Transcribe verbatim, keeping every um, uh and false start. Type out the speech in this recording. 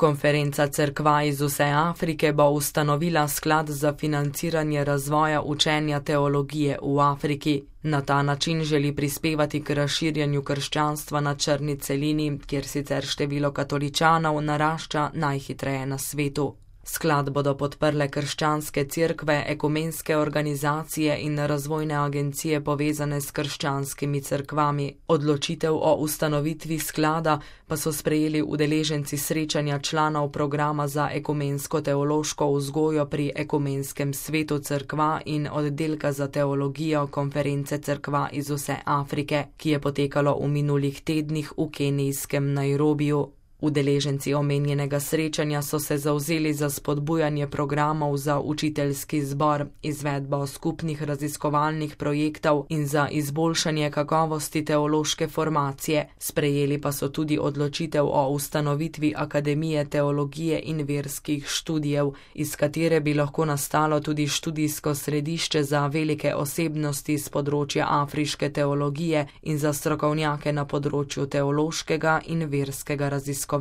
Konferenca cerkva iz vse Afrike bo ustanovila sklad za financiranje razvoja učenja teologije v Afriki. Na ta način želi prispevati k razširjanju krščanstva na črni celini, kjer sicer število katoličanov narašča najhitreje na svetu. Sklad bodo podprle krščanske cerkve, ekumenske organizacije in razvojne agencije povezane s krščanskimi cerkvami. Odločitev o ustanovitvi sklada pa so sprejeli udeleženci srečanja članov programa za ekumensko teološko vzgojo pri Ekumenskem svetu cerkva in oddelka za teologijo konference cerkva iz vse Afrike, ki je potekalo v minulih tednih v kenijskem Nairobiju. Udeleženci omenjenega srečanja so se zavzeli za spodbujanje programov za učiteljski zbor, izvedbo skupnih raziskovalnih projektov in za izboljšanje kakovosti teološke formacije. Sprejeli pa so tudi odločitev o ustanovitvi Akademije teologije in verskih študijev, iz katere bi lahko nastalo tudi študijsko središče za velike osebnosti z področja afriške teologije in za strokovnjake na področju teološkega in verskega raziskovanja.